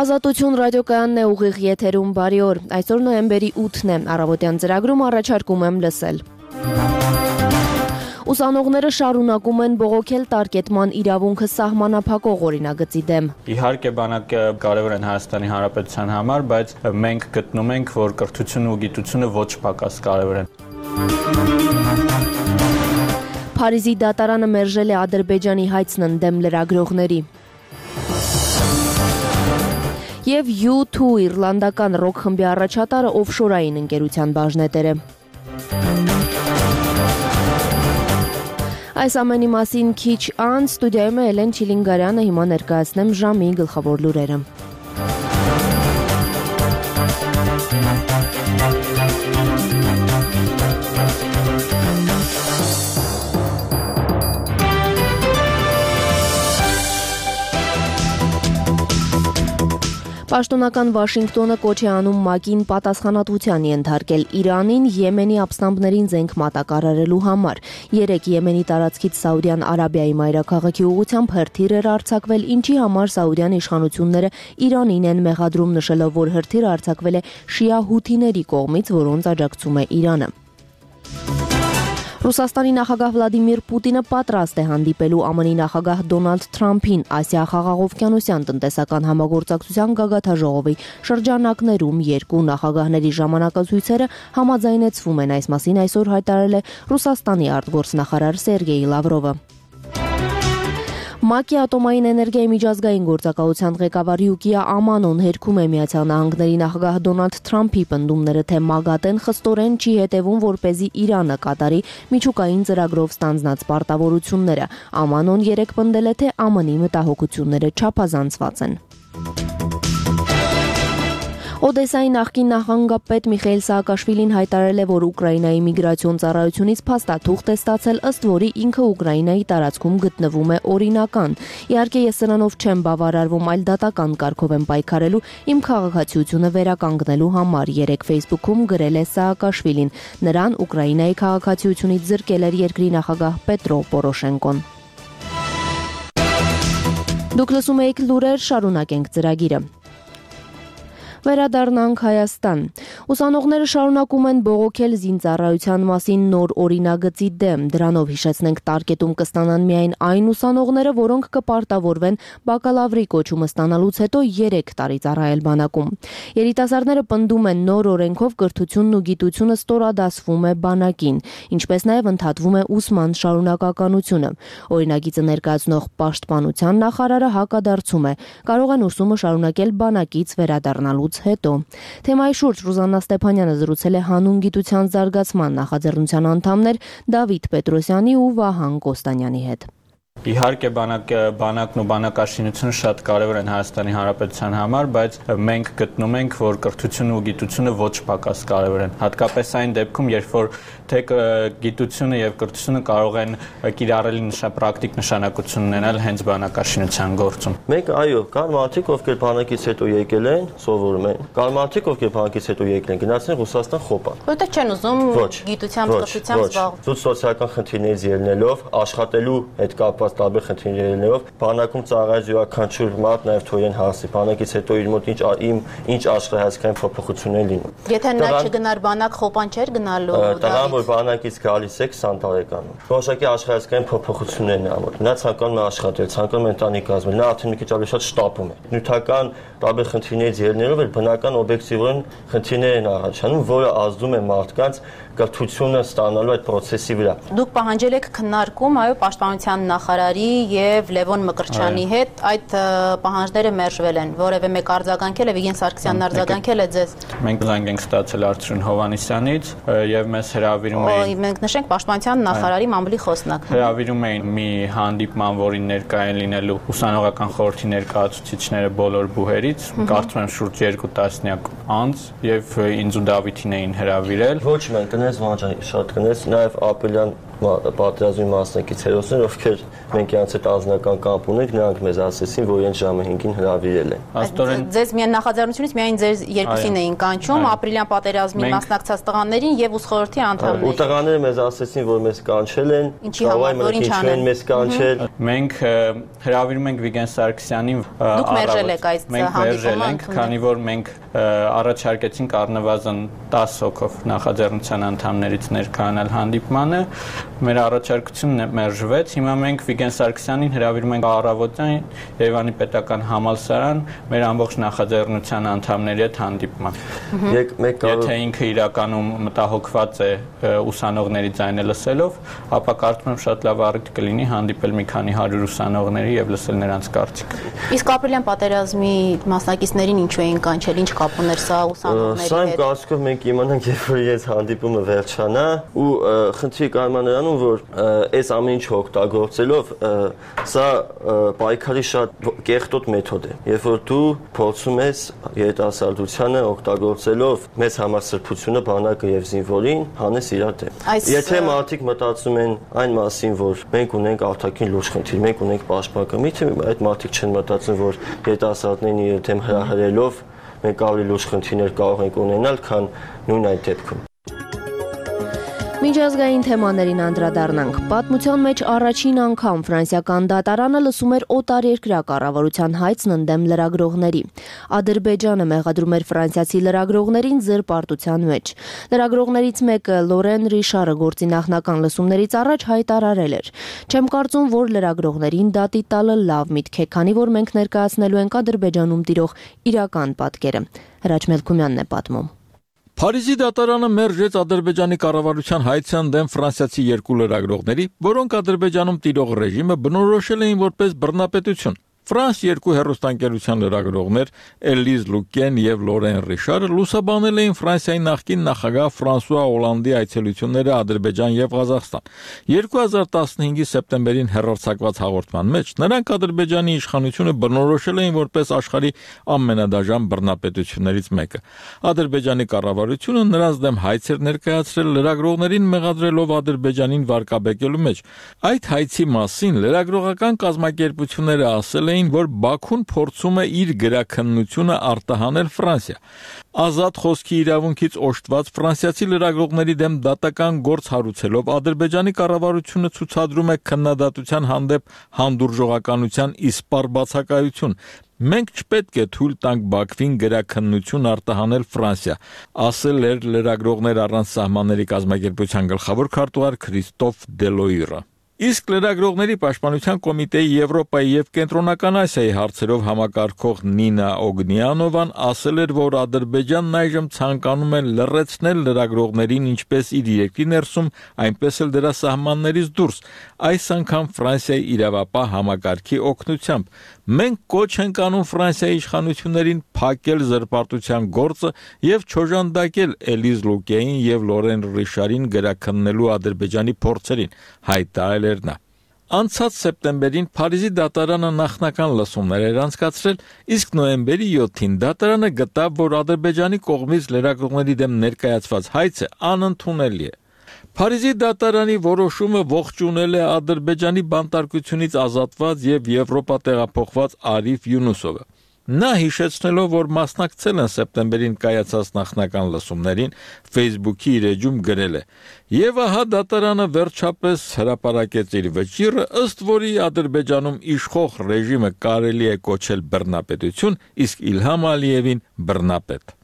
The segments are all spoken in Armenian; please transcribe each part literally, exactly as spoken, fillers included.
Ազատություն ռադիոկայանն է ուղիղ եթերում բարի օր, այսօր նոյեմբերի ութն է, առավոտյան ծրագրում առաջարկում եմ լսել։ Ուսանողները շարունակում են բողոքել տարկետման իրավունքը սահմանափակող օրինագծի դեմ։ Իհարկե բանակը կարևոր են Հայաստանի Հանրապետության համար, բայց մենք գտնում ենք, որ կրթությունը ու գիտությունը ոչ պակաս կարևոր են։ Փարիզի դատարանը մերժել է Ադրբեջանի հայցն ընդդեմ լրագրողների։ Եվ յու թու իռլանդական ռոք խմբի առաջատարը օֆշորային ընկերության բաժնետեր է։ Այս ամենի մասին քիչ անց ստուդիայում է Էլեն Չիլինգարյանը, հիմա ներկայացնեմ ժամի գլխավոր լուրերը։ Պաշտոնական Վաշինգտոնը կոչ է անում ՄԱԿ-ին պատասխանատվության ենթարկել Իրանին Եմենի ապստամբներին զենք մատակարարելու համար։ Երեկ Եմենի տարածքից Սաուդյան Արաբիայի մայրաքաղաքի ուղղությամբ հրթիռ էր արձակվել, ինչի համար Սաուդյան իշխանությունները Իրանին են մեղադրում, նշելով, որ հրթիռը արձակվել է շիա հութիների կողմից, որոնց աջակցում է Իրանը։ Ռուսաստանի նախագահ Վլադիմիր Պուտինը պատրաստ է հանդիպելու ԱՄՆ-ի նախագահ Դոնալդ Թրամփին Ասիա-Խաղաղօվկիանոսյան տնտեսական համագործակցության գագաթաժողովի շրջանակներում երկու նախագահների ժամանակացույցերը համաձայնեցվում են, այս մասին այսօր հայտարարել է Ռուսաստանի արտգործնախարար Սերգեյ Լավրովը։ ՄԱԿ-ի ատոմային էներգիայի միջազգային գործակալության ղեկավար Յուկիա Ամանոն հերքում է Միացյալ Նահանգների նախագահ Դոնալդ Թրամփի պնդումները, թե ՄԱԳԱՏԷ-ն խստորեն չի հետևում, որպեսզի Իրանը կատարի միջուկային ծրագրով ստանձնած պարտավորությունները։ Ամանոն երեկ պնդել է, թե ԱՄՆ-ի մտահոգությունները չափազանցված են։ Օդեսայի նախկին նախագահապետ Միխայիլ Սաակաշվիլին հայտարարել է, որ Ուկրաինայի միգրացիոն ծառայությունից փաստաթուղթ է ստացել, ըստ որի ինքը Ուկրաինայի տարածքում գտնվում է օրինական։ Իհարկե ես սրանով չեմ բավարարվում, այլ դատական կարգով եմ պայքարելու իմ քաղաքացիությունը վերականգնելու համար, երեկ Facebook-ում գրել է Սաակաշվիլին։ Նրան Ուկրաինայի քաղաքացիությունից զրկել էր երկրի նախագահ Պետրո Պորոշենկոն։ Դուք լսում եք լուրեր, շարունակենք ծրագիրը։ Վերադառնանք Հայաստան։ Ուսանողները շարունակում են բողոքել զինծառայության մասին նոր օրինագծի դեմ։ Դրանով հիշեցնենք տարկետում կստանան միայն այն ուսանողները, որոնք կպարտավորվեն բակալավրի կոչումը ստանալուց հետո երեք տարի ծառայել բանակում։ Երիտասարդները պնդում են, նոր օրենքով կրթությունն ու գիտությունը ստորադասվում է բանակին, ինչպես նաև ընդհատվում է ուսման շարունակականությունը։ Օրինագիծը ներկայացնող պաշտպանության նախարարը հակադարձում է, կարող են ուսումը շարունակել բանակից վերադառնալու հետո։ Թեմայի շուրջ Ռուզաննա Ստեփանյանը զրուցել է հանուն գիտության զարգացման նախաձեռնության անդամներ Դավիթ Պետրոսյանի ու Վահան Կոստանյանի հետ։ Իհարկե բանակը, բանակն ու բանակաշինությունը շատ կարևոր են Հայաստանի Հանրապետության համար, բայց մենք գտնում ենք, որ կրթությունը ու գիտությունը ոչ պակաս կարևոր են։ Հատկապես այն դեպքում, երբ որ թե գիտությունը եւ կրթությունը կարող են կիրառելի պրակտիկ նշանակություն ունենալ հենց բանակաշինության գործում։ Մենք այո, կան մարդիկ, ովքեր բանակից հետո եկել են, սովորում են։ Կան մարդիկ, ովքեր բանակից հետո եկել են, գնացել են Ռուսաստան խոպան։ Որտեղ չեն ուզում գիտությամբ, կրթությամբ զբաղվել։ Զուտ սոցիալական խնդիրներից ելնելով, աշխատելու հետ կապված տարբեր խնդիրներով բանակում ծառայած յուրաքանչյուր մարդ նաև թույն հասի բանակից հետո իր մոտ ինչ իմ ինչ աշխարհայացքային փոփոխություններ լինում։ Եթե նա չգնար բանակ, խոպան չէր գնալու։ Տղան, որ բանակից գալիս է քսան տարեկանում, որոշակի աշխարհայացքային փոփոխություններն է անում։ Նա ցանկանում է աշխատել, ցանկանում է ընտանիք կազմել, նա արդեն մի քիչ ավելի շատ շտապում է։ Նյութական տարբեր խնդիրներից ելնելով էլ բնական օբյեկտիվորեն խնդիրներ են առաջանում, որը ազդում է մարդկանց կրթությունը ստանալու այդ process-ի վրա։ Դուք պահանջել եք քննարկում, այո, պաշտպանության նախարարի եւ Լևոն Մկրտչյանի հետ, այդ պահանջները մերժվել են, որևէ մեկ արձագանքել է, Վիգեն Սարգսյանն արձագանքել է ձեզ։ Մենք զանգ ենք ստացել Արծրուն Հովհաննիսյանից եւ մեզ հրավիրում էին։ Մենք նշենք պաշտպանության նախարարի մամուլի խոսնակ։ Հրավիրում էին մի հանդիպման, որին ներկա են լինելու ուսանողական խորհրդի ներկայացուցիչները բոլոր բուհերից, կարծում եմ շուրջ երկու տասնյակ անձ եւ ինձ ու Դավիթին էին հրավիրել։ Ոչ մենք կնես վանջան շատ կնես նաև ապելյան պատերազմի մասնակից հերոսներ, ովքեր մենք իրենց հետ անձնական կապ ունենք, նրանք մեզ ասեցին, որ իրենց ժամը հինգին հրավիրել են։ Աստորեն ձեզ միայն նախաձեռնությունից միայն ձեր երկուսին էին կանչում, ապրիլյան պատերազմի մասնակցած տղաներին եւ ուսխորհրդի անդամներին։ Ու տղաները մեզ ասեցին, որ մեզ կանչել են, որ ինչ են մեզ կանչել։ Մենք հրավիրում ենք Վիգեն Սարգսյանին առավոտ։ Մենք մերժել ենք, քանի որ մենք առաջարկեցինք առնվազն տասը հոգով նախաձեռնության անդամներից ներկայանալ հանդիպմանը, մեր առաջարկությունն մերժվեց։ Հիմա մենք Վիգեն Սարգսյանին հրավիրում ենք առավոտյան Երևանի պետական համալսարան մեր ամբողջ նախաձեռնության անդամների հետ հանդիպման։ Եթե ինքը իրականում մտահոգված է ուսանողների ձայնը լսելով, ապա կարծում եմ շատ լավ առիթ կլինի հանդիպել մի քանի հարյուր ուսանողների եւ լսել նրանց կարծիքը։ Իսկ ապրիլյան պատերազմի մասնակիցներին ինչու էին կանչել, ինչ կապ ուներ սա ուսանողների հետ։ Սա իմ կարծիքով մենք իմանանք, երբ որ ես հանդիպումը վերջանա, ու խնդրի կայանում նրանում, որ այս ամեն ինչը օգտագործելով սա պայքարի շատ կեղտոտ մեթոդ է։ Երբ որ դու փորձում ես երիտասարդությանը օգտագործելով մեծ համասրբությունը, բանակը եւ զինվորին հանես իրար դեմ։ Եթե մարդիկ մտածում են այն մասին, որ մենք ունենք արտաքին լուրջ խնդիր, մենք ունենք պաշտպանական, միթե այդ մարդիկ չեն մտածում, որ երիտասարդներին իրար դեմ հրահրելով մենք ավելի լուրջ խնդիրներ կարող ենք ունենալ, քան նույն այդ դեպքում։ Միջազգային թեմաներին անդրադառնանք։ Պատմության մեջ առաջին անգամ ֆրանսիական դատարանը լսում էր օտարերկրյա կառավարության հայցն ընդդեմ լրագրողների։ Ադրբեջանը մեղադրում էր ֆրանսիացի լրագրողներին զրպարտության մեջ։ Լրագրողներից մեկը Լորեն Ռիշարը գործի նախնական լսումներից առաջ հայտարարել էր. «Չեմ կարծում, որ լրագրողներին դատի տալը լավ միտք է, քանի որ մենք ներկայացնելու ենք Ադրբեջանում տիրող իրական պատկերը»։ Հրաչ Մելքումյանն է պատմում։ Փարիզի դատարանը մերժեց Ադրբեջանի կառավարության հայցան դեմ ֆրանսիացի երկու լրագրողների, որոնք Ադրբեջանում տիրող ռեժիմը բնորոշել էին որպես բռնապետություն։ Ֆրանս երկու հեռուստաընկերության լրագրողներ Էլիզ Լուկեն եւ Լորեն Ռիշարը լուսաբանել էին Ֆրանսիայի նախկին նախագահ Ֆրանսուଆ Օլանդի այցելությունները Ադրբեջան եւ Ղազախստան։ երկու հազար տասնհինգի սեպտեմբերին հեռարձակված հաղորդման մեջ նրանք Ադրբեջանի իշխանությունը բնորոշել էին որպես աշխարհի ամենադաժան բռնապետություններից մեկը։ Ադրբեջանի կառավարությունը նրանց դեմ հայց էր ներկայացրել լրագրողներին մեղադրելով Ադրբեջանին վարկաբեկելու մեջ։ Այդ հայցի մասին լրագրողական կազմակերպությունները ասել էին, որ Բաքուն փորձում է իր գրաքննությունը արտահանել Ֆրանսիա։ Ազատ խոսքի իրավունքից օժտված ֆրանսիացի լրագրողների դեմ դատական գործ հարուցելով Ադրբեջանի կառավարությունը ցուցադրում է քննադատության հանդեպ հանդուրժողականության իսպառ բացակայություն։ Մենք չպետք է թույլ տանք Բաքվին գրաքննություն արտահանել Ֆրանսիա, ասել էր լրագրողներ առանց սահմանների կազմակերպության գլխավոր քարտուղար Քրիստոֆ Դելոյրը։ Իսկ լրագրողների պաշտպանության կոմիտեի Եվրոպայի եւ Կենտրոնական Ասիայի հարցերով համակարգող Նինա Օգնիանովան ասել էր, որ Ադրբեջանն այժմ ցանկանում է լրացնել լրագրողներին ինչպես իր երկրի ներսում, այնպես էլ դրա սահմաններից դուրս, այս անգամ Ֆրանսիայի իրավապահ համակարգի օգնությամբ։ Մենք կոչ ենք անում Ֆրանսիայի իշխանություններին փակել զրպարտության գործը եւ չոժանդակել Էլիզ Լուկեին եւ Լորեն Ռիշարին գրաքննելու Ադրբեջանի փորձերին, հայտարարել էր նա։ Անցած սեպտեմբերին Փարիզի դատարանը նախնական լսումներ էր անցկացրել, իսկ նոյեմբերի յոթին դատարանը գտավ, որ Ադրբեջանի կողմից լրագրողների դեմ ներկայացված հայցը անընդունելի է։ Փարիզի դատարանի որոշումը ողջունել է Ադրբեջանի բանտարկությունից ազատված եւ Եվրոպա տեղափոխված Արիֆ Յունուսովը։ Նա հիշեցնելով, որ մասնակցել են սեպտեմբերին կայացած նախնական լսումներին, Facebook-ի իր էջում գրել է. «Եվ ահա դատարանը վերջապես հրապարակեց իր վճիռը, ըստ որի Ադրբեջանում իշխող ռեժիմը կարելի է կոչել բռնապետություն, իսկ Իլհամ Ալիևին բռնապետ»։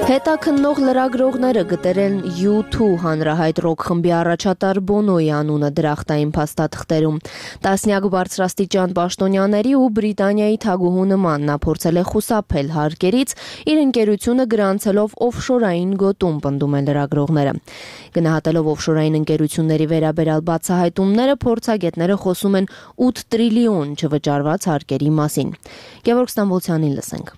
Հետաքննող լրագրողները գտել են յու թու հանրահայտ ռոք խմբի առաջատար Բոնոյի անունը դրախտային փաստաթղթերում։ Տասնյակ բարձրաստիճան պաշտոնյաների ու Բրիտանիայի թագուհու նման նա փորձել է խուսափել հարկերից, իր ընկերությունը գրանցելով օֆշորային գոտում, պնդում են լրագրողները։ Գնահատելով օֆշորային ընկերությունների վերաբերյալ բացահայտումները, փորձագետները խոսում են ութ տրիլիոն չվճարված հարկերի մասին։ Գևորգ Ստամբոլցյանին լսենք։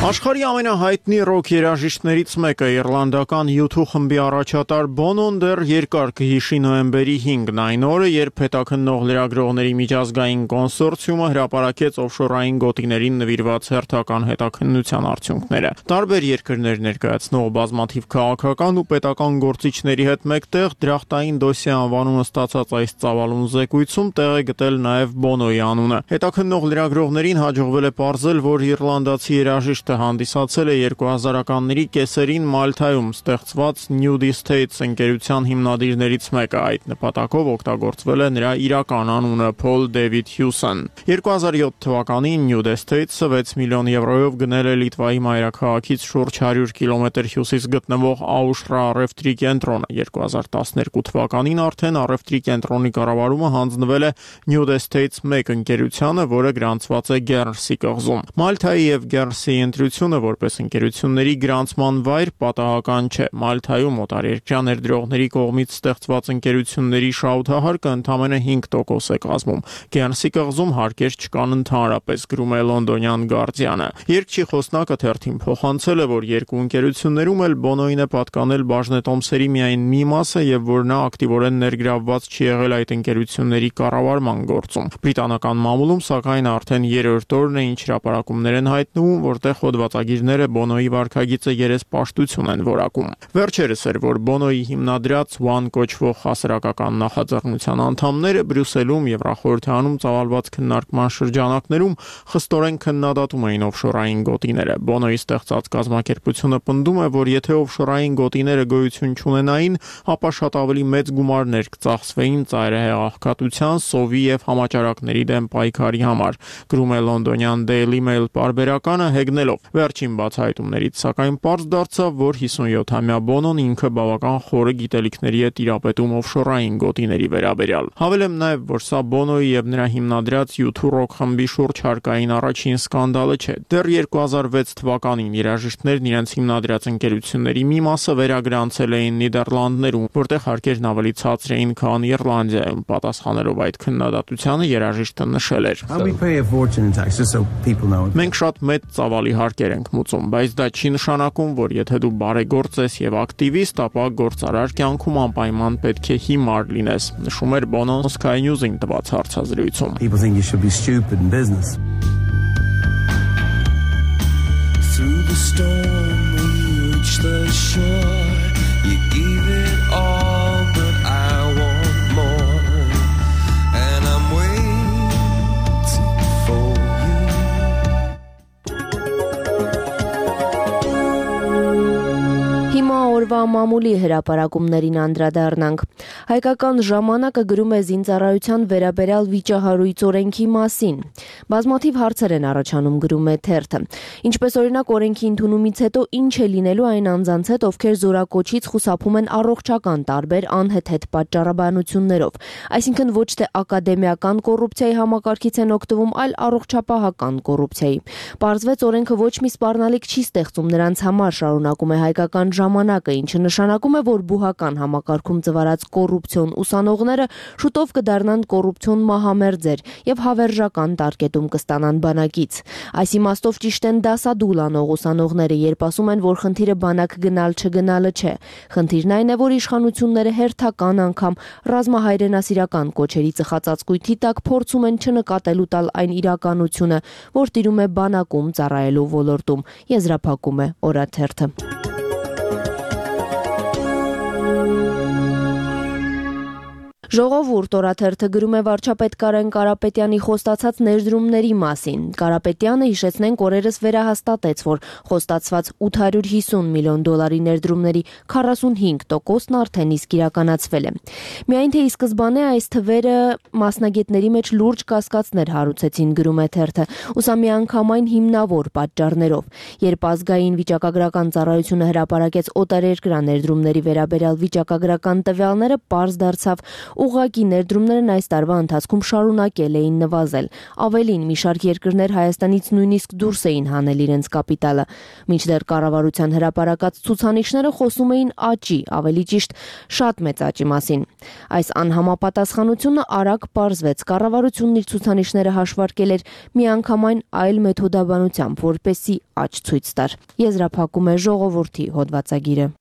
Աշխարհի ամենահայտնի ռոք երաժիշտներից մեկը իռլանդական յու թու խմբի առաջատար Բոնոն դեռ երկար կհիշի նոյեմբերի հինգն, այն օրը, երբ հետաքննող լրագրողների միջազգային կոնսորցիումը հրապարակեց օֆշորային գոտիներին նվիրված հերթական հետաքննության արդյունքները։ Տարբեր երկրներ ներկայացնող բազմաթիվ քաղաքական ու պետական գործիչների հետ մեկտեղ դրախտային դոսիե անվանումը ստացած այս ծավալուն զեկույցում տեղ է գտել նաև Բոնոյի անունը։ Հետաքննող լրագրողներին հաջողվել է պարզել, որ իռլանդացի երաժիշտը հանդիսացել է երկու հազարականների կեսերին Մալթայում ստեղծված Nudie States ընկերության հիմնադիրներից մեկը, այդ նպատակով օգտագործվել է նրա իրական անունը Paul David Hewson։ երկու հազար յոթ թվականին Nudie States-ը վեց միլիոն եվրոյով գնել է Լիտվայի մայրաքաղաքից շուրջ հարյուր կիլոմետր հյուսիս գտնվող Աուշրա առևտրի կենտրոնը։ երկու հազար տասներկու թվականին արդեն առևտրի կենտրոնի կառավարումը հանձնվել է Nudie States մեկ ընկերությանը, որը գրանցված է Գերնսի կղզում։ Մալթայի եւ Գերնսիի ընտրությունը որպես ընկերությունների գրանցման վայր պատահական չէ։ Մալթայում օտարերկրյա ներդրողների կողմից ստեղծված ընկերությունների շահութահարկը ընդամենը հինգ տոկոս է կազմում։ Գերնսի կղզում հարկեր չկան ընդհանրապես, գրում է լոնդոնյան Guardian-ը։ Երկչի խոսնակը թերթին փոխանցել է, որ երկու ընկերություններում էլ Բոնոին է պատկանել բաժնետոմսերի միայն մի մասը եւ որ նա ակտիվորեն ներգրավված չի եղել այդ ընկերությունների կառավարման գործում։ Բրիտանական մամուլում սակայն արդեն երրորդ օրն է ինչ հրապարակումներ են հայտնվում, որտեղ հոդվածագիրները Բոնոյի վարքագիծը երեսպաշտություն են որակում։ Վերջերս էր, որ Բոնոյի հիմնադրած One կոչվող հասարակական նախաձեռնության անդամները Բրյուսելում Եվրախորհրդանում ծավալված քննարկման շրջանակներում խստորեն քննադատում էին օֆշորային գոտիները։ Բոնոյի ստեղծած կազմակերպությունը պնդում է, որ եթե օֆշորային գոտիները գոյություն չունենային, ապա շատ ավելի մեծ գումարներ կծախսվեին ծայրահեղ աղքատության, սովի եւ համաճարակների դեմ պայքարի համար, գրում է լոնդոնյան Daily Mail պարբերականը հեգնելով։ Վերջին բացահայտումներից սակայն պարզ դարձավ, որ հիսունյոթամյա Բոնոն ինքը բավական խորը գիտելիքների է տիրապետում օֆշորային գոտիների վերաբերյալ։ Հավելեմ նաև, որ սա Բոնոյի եւ նրա հիմնադրած յու թու ռոք խմբի շուրջ հարկային առաջին սկանդալը չէ։ Դեռ երկու հազար վեց թվականին երաժիշտներն իրենց հիմնադրած ընկերությունների մի մասը վերագրանցել էին Նիդերլանդներում, որտեղ հարկերն ավելի ցածր էին, քան Իռլանդիայում։ Պատասխանելով այդ քննադատությանը երաժիշտը նշել էր. Մենք շատ մեծ ծավալի հարկեր ենք մուծում, բայց դա չի նշանակում, որ եթե դու բարեգործ ես եւ ակտիվիստ, ապա գործարար կյանքում անպայման պետք է հիմար լինես, նշում էր Bono's Sky News-ին տված հարցազրույցում։ Through the storm we reach the shore. You give it all, but I want more. And I'm waiting for you. Հիմա օրվա մամուլի հրապարակումներին անդրադառնանք։ Հայկական ժամանակը գրում է զինծառայության վերաբերյալ վիճահարույց օրենքի մասին։ Բազմաթիվ հարցեր են առաջանում, գրում է թերթը։ Ինչպես օրինակ օրենքի ընդունումից հետո ինչ է լինելու այն անձանց հետ, ովքեր զորակոչից խուսափում են առողջական տարբեր անհեթեթ պատճառաբանություններով, այսինքն ոչ թե ակադեմիական կոռուպցիայի համակարգից են օգտվում, այլ առողջապահական կոռուպցիայի։ Պարզվեց օրենքը ոչ մի սպառնալիք չի ստեղծում նրանց համար, շարունակում է Հայկական ժամանակը, ինչը նշանակում է, որ բուհական համակարգում ծվարած կոռուպցիոն ուսանողները շուտով կդառնան կոռուպցիոն մահամերձեր եւ հավերժական տարկետում կստանան բանակից։ Այս իմաստով ճիշտ են դասադուլ անող ուսանողները, երբ ասում են, որ խնդիրը բանակ գնալ չգնալը չէ։ Խնդիրն այն է, որ իշխանությունները հերթական անգամ ռազմահայրենասիրական կոչերի ծխածածկույթի տակ փորձում են չնկատելու տալ այն իրականությունը, որ տիրում է բանակում ծառայելու ոլորտում, եզրափակում է օրաթերթը։ Ժողովուրդ օրաթերթը գրում է վարչապետ Կարեն Կարապետյանի խոստացած ներդրումների մասին։ Կարապետյանը, հիշեցնենք, օրերս վերահաստատեց, որ խոստացված ութ հարյուր հիսուն միլիոն դոլարի ներդրումների քառասունհինգ տոկոսն արդեն իսկ իրականացվել է։ Միայն թե ի սկզբանե այս թվերը մասնագետների մեջ լուրջ կասկածներ հարուցեցին, գրում է թերթը, ու սա միանգամայն հիմնավոր պատճառներով։ Երբ ազգային վիճակագրական ծառայությունը հրապարակեց օտարերկրյա ներդրումների վերաբերյալ վիճակագրական տվյալները, պարզ դարձավ, Ուղղակի ներդրումներն այս տարվա ընթացքում շարունակել էին նվազել։ Ավելին, մի շարք երկրներ Հայաստանից նույնիսկ դուրս էին հանել իրենց կապիտալը։ Մինչդեռ կառավարության հրապարակած ցուցանիշները խոսում էին աճի, ավելի ճիշտ շատ մեծ աճի մասին։ Այս անհամապատասխանությունը արագ պարզվեց։ Կառավարությունն իր ցուցանիշները հաշվարկել էր միանգամայն այլ մեթոդաբանությամբ, որպեսզի աճ ցույց տար։ Եզրափակում է Ժողովուրդի հոդվածագիրը։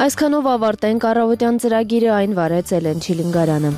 Այսքանով ավարտենք առավոտյան ծրագիրը, այն վարեց Էլեն Չիլինգարյանը։